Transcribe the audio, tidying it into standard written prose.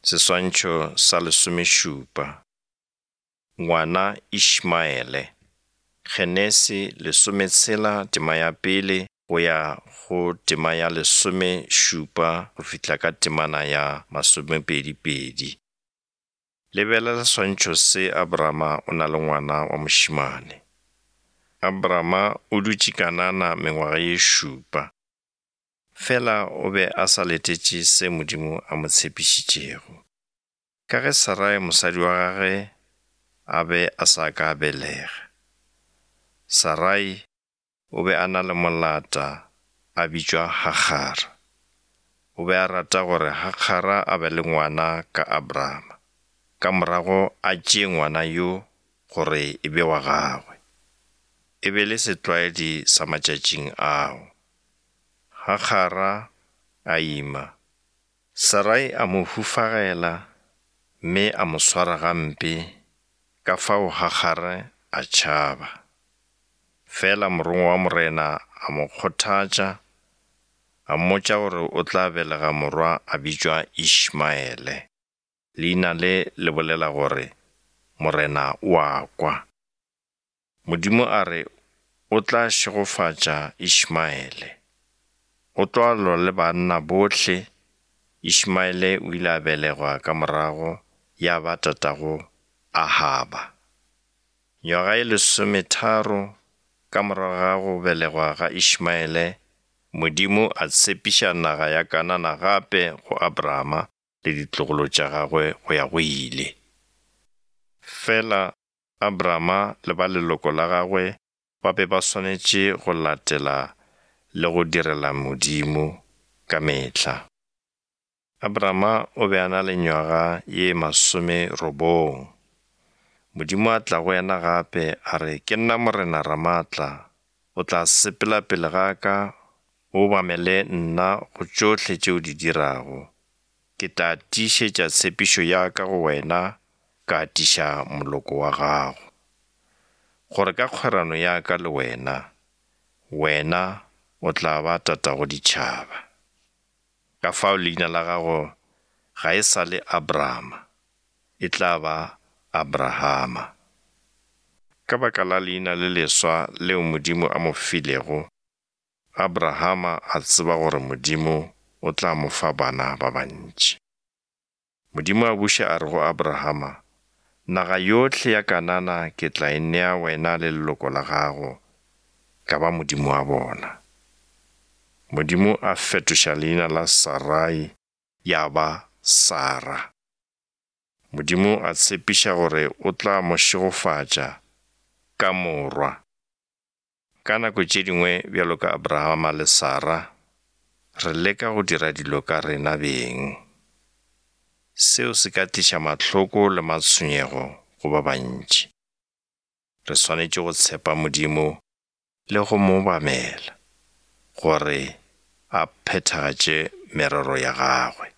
Seswantšho sa lesomešupa. Ngwana Ishmaele. Genesi lesometshela tema ya pele go ya go tema ya lesomešupa go fihla ka temana ya masomepedipedi. Lebelela seswantšho se Abrama o na le ngwana wa mošemane. Abrama o dutše Kanana mengwaga ye šupa. Fela o be a sa letetše se Modimo a mo tshepišitšego. Ka ge Sarai mosadi wa gagwe a be a sa ka a belega, Sarai o be a na le molata a bitšwa Hagara. O be a rata gore Hagara a be le ngwana ka Abrama, ka morago a tšee ngwana yo gore e be wa gagwe. E be le setlwaedi sa matšatšing ao. Hagara a ima. Sarai a mo hufagela mme a mo swara gampe, ka fao Hagare a tšhaba. Fela morongwa wa Morena a mo kgothatša, a mmotša gore o tla belega morwa a bitšwa Ishmaele. Leina le le bolela gore, Morena o a kwa. Modimo a re o tla šegofatša Ishmaele. O tlo lwa le banna bohle, Ishmaele o ile a belegwa ka morago ya ba tatago Ahaba. Nywaga e lesometharo ka morago ga go belegwa ga Ishmaele, Modimo a tshepiša naga ya Kanana gape go Abrahama le ditlogolo tša gagwe go ya go ile. Fela Abrama le ba leloko la gagwe ba be ba swanetše go latela le go direla Modimo ka mehla. Abrama o be a na le nywaga ye masomerobong. Modimo a tla go yena gape a re, Ke nna Morena Ramaatla, o tla sepela pele ga ka, o obamele nna go tšohle tše o di dirago. Ke tla tiišetša tshepišo ya ka go wena ka atiša moloko wa gago, gore ka kgwerano ya ka le wena, wena o tla ba tatago ditšhaba. Ka fao leina la gago ga e sa le Abrama, e tla ba Abrahama. Ka baka la leina le leswa leo Modimo a mo filego, Abrahama a tseba gore Modimo o tla mo fa bana ba bantši. Modimo a buša a re go Abrahama, Naga yohle ya Kanana ke tla e nea wena le leloko la gago, ka ba Modimo wa bona. Modimo a fetoša leina la Sarai ya ba Sara. Modimo a tshepiša gore o tla mo šegofatša ka morwa. Ka nako tše dingwe, bjalo ka Abrahama le Sara, re leka go dira dilo ka rena beng. Seo se ka tliša mahloko le matshwenyego go ba bantši. Re swanetše go tshepa Modimo le go mo obamela gore a phethagatše merero ya gagwe.